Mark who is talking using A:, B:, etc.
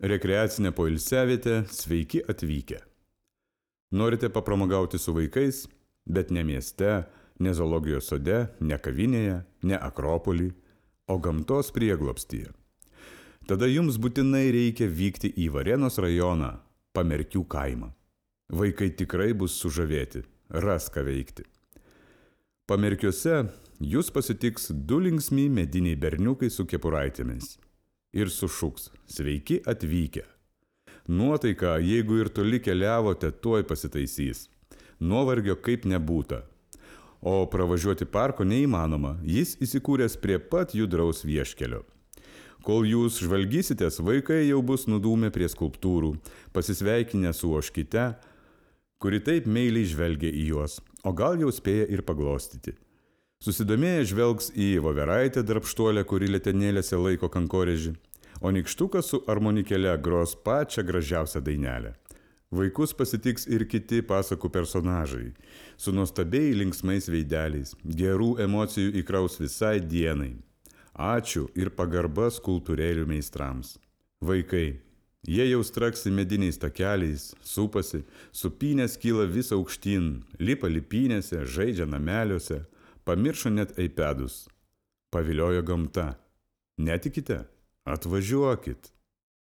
A: Rekreacinė poilsiavietė, sveiki atvykę. Norite papramogauti su vaikais, bet ne mieste, ne zoologijos sode, ne kavinėje, ne Akropolį, o gamtos prieglobstyje. Tada jums būtinai reikia vykti į Varėnos rajoną, Pamerkių kaimą. Vaikai tikrai bus sužavėti, ras ką veikti. Pamerkiuose jūs pasitiks 2 linksmi mediniai berniukai su kepuraitėmis. Ir sušuks, sveiki atvykę. Nuotaika, jeigu ir toli keliavote, tuoj pasitaisys. Nuovargio kaip nebūta. O pravažiuoti parko neįmanoma, jis įsikūręs prie pat judraus vieškelio. Kol jūs žvalgysitės, vaikai jau bus nudūmę prie skulptūrų, pasisveikinę su ožkyte, kuri taip meiliai žvelgia į juos, o gal jau spėja ir paglostyti. Susidomėję žvelgs į voveraitę darbštuolę, kuri letenėlėse laiko kankorėžį, o nykštukas su armonikele gros pačią gražiausią dainelę. Vaikus pasitiks ir kiti pasakų personažai, su nuostabiai linksmais veideliais, gerų emocijų įkraus visai dienai. Ačiū ir pagarba skulptūrėlių meistrams. Vaikai, jie jau straksi mediniais takeliais, supasi, supynės kyla vis aukštyn, lipa lipynėse, žaidžia nameliuose, pamiršo net iPadus. Paviliojo gamta. Netikite? Atvažiuokit.